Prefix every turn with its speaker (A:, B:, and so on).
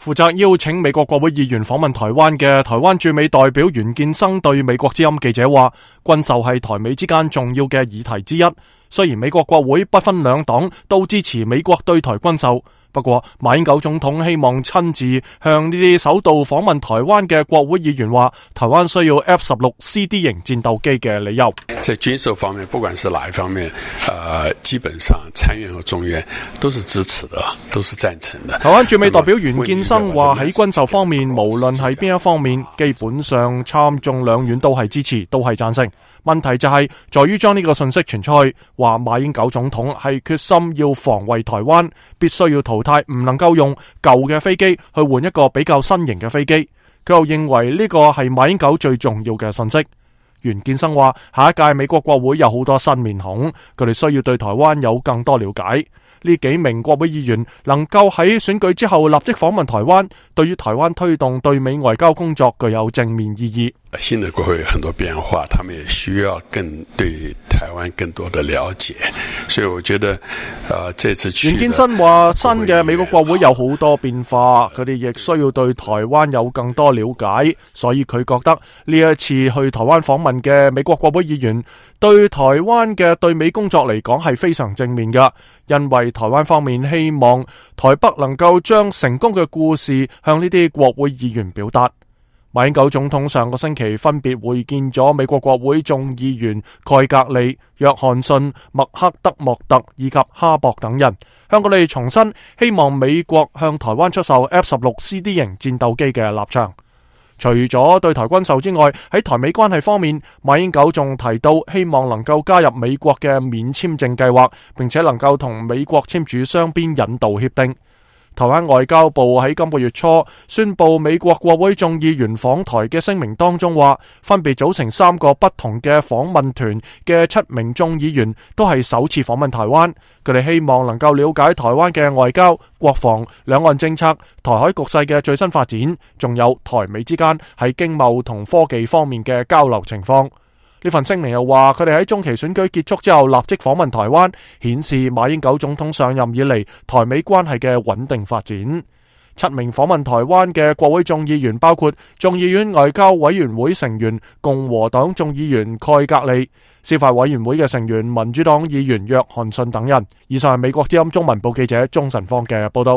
A: 負責邀請美國國會議員訪問台灣嘅台灣駐美代表袁建生對美國之音記者話，軍售係台美之間重要嘅議題之一。雖然美國國會不分兩黨都支持美國對台軍售，不過馬英九總統希望親自向呢啲首度訪問台灣嘅國會議員話，台灣需要 F-16CD 型戰鬥機嘅理由。
B: 在軍售方面，不管是哪一方面，基本上參院和眾院都是支持的，都是贊成的。
A: 台灣駐美代表袁建生話，喺軍售方面，無論係邊一方面，基本上參眾兩院都係支持，都係贊成。問題就係在於將呢個信息傳出去，話馬英九總統係決心要防衛台灣，必須要淘汰唔能夠用舊嘅飛機去換一個比較新型嘅飛機。佢又認為呢個係馬英九最重要嘅信息。袁建生話，下一屆美國國會有好多新面孔，佢哋需要對台灣有更多了解。呢幾名國會議員能夠喺選舉之後立即訪問台灣，對於台灣推動對美外交工作具有正面意義。
B: 新的國會有很多變化，他們也需要對台灣更多的了解，所以我覺得這次
A: 袁建生話，新嘅美國國會有好多變化，佢哋亦需要對台灣有更多了解，所以佢覺得呢一次去台灣訪問嘅美國國會議員對台灣嘅對美工作嚟講係非常正面㗎，因為台灣方面希望台北能夠將成功嘅故事向呢啲國會議員表達。馬英九總統上個星期分別會見咗美國國會眾議員蓋格利、約翰遜、麥克德莫特以及哈博等人，向佢哋重申希望美國向台灣出售 F-16CD 型戰鬥機嘅立場。除咗對台軍售之外，喺台美關係方面，馬英九仲提到希望能夠加入美國嘅免簽證計劃，並且能夠同美國簽署雙邊引渡協定。台灣外交部喺今個月初宣布美國國會眾議員訪台嘅聲明當中話，分別組成3個不同嘅訪問團嘅7名眾議員都係首次訪問台灣，佢哋希望能夠了解台灣嘅外交、國防、兩岸政策、台海局勢嘅最新發展，仲有台美之間喺經貿同科技方面嘅交流情況。呢份聲明又話，佢哋喺中期選舉結束之後立即訪問台灣，顯示馬英九總統上任以嚟台美關係嘅穩定發展。7名訪問台灣嘅國會眾議員包括眾議院外交委員會成員共和黨眾議員蓋格利、司法委員會嘅成員民主黨議員約翰遜等人。以上係美國之音中文部記者鍾晨芳嘅報道。